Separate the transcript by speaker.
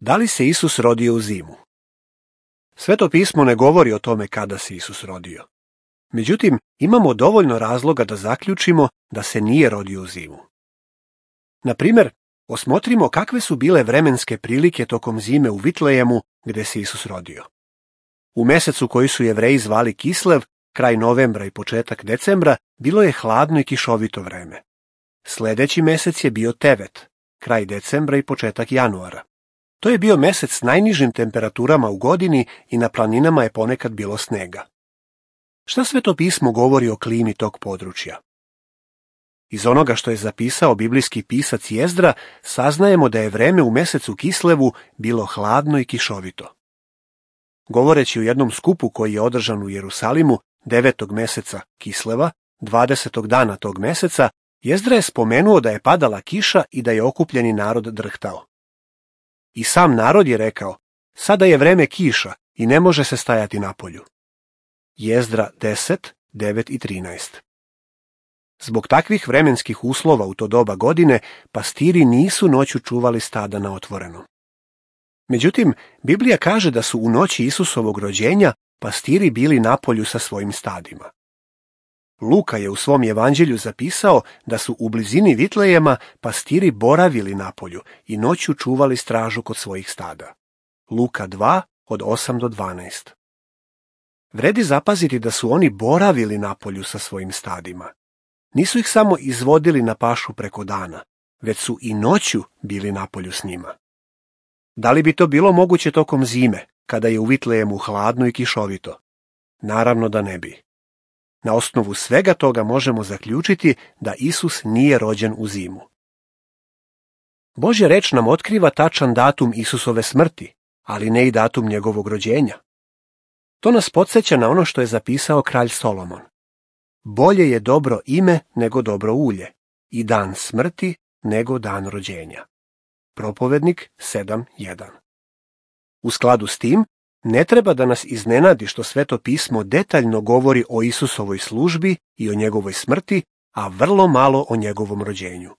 Speaker 1: Da li se Isus rodio u zimu? Sveto pismo ne govori o tome kada se Isus rodio. Međutim, imamo dovoljno razloga da zaključimo da se nije rodio u zimu. Na primjer, osmotrimo kakve su bile vremenske prilike tokom zime u Vitlejemu gdje se Isus rodio. U mjesecu koji su Jevreji zvali Kislev, kraj novembra i početak decembra, bilo je hladno i kišovito vreme. Sljedeći mjesec je bio Tevet, kraj decembra i početak januara. To je bio mjesec s najnižim temperaturama u godini i na planinama je ponekad bilo snega. Šta Sveto pismo govori o klimi tog područja? Iz onoga što je zapisao biblijski pisac Jezdra, saznajemo da je vreme u mjesecu Kislevu bilo hladno i kišovito. Govoreći u jednom skupu koji je održan u Jerusalimu 9. mjeseca Kisleva, 20. dana tog mjeseca, Jezdra je spomenuo da je padala kiša i da je okupljeni narod drhtao. I sam narod je rekao, sada je vreme kiša i ne može se stajati napolju. Jezdra 10, 9 i 13. Zbog takvih vremenskih uslova u to doba godine, pastiri nisu noću čuvali stada na otvorenom. Međutim, Biblija kaže da su u noći Isusovog rođenja pastiri bili napolju sa svojim stadima. Luka je u svom evanđelju zapisao da su u blizini Vitlejema pastiri boravili napolju i noću čuvali stražu kod svojih stada. Luka 2, od 8 do 12. Vredi zapaziti da su oni boravili napolju sa svojim stadima. Nisu ih samo izvodili na pašu preko dana, već su i noću bili napolju s njima. Da li bi to bilo moguće tokom zime, kada je u Vitlejemu hladno i kišovito? Naravno da ne bi. Na osnovu svega toga možemo zaključiti da Isus nije rođen u zimu. Božja reč nam otkriva tačan datum Isusove smrti, ali ne i datum njegovog rođenja. To nas podsjeća na ono što je zapisao kralj Solomon. Bolje je dobro ime nego dobro ulje, i dan smrti nego dan rođenja. Propovednik 7.1. U skladu s tim, ne treba da nas iznenadi što Sveto pismo detaljno govori o Isusovoj službi i o njegovoj smrti, a vrlo malo o njegovom rođenju.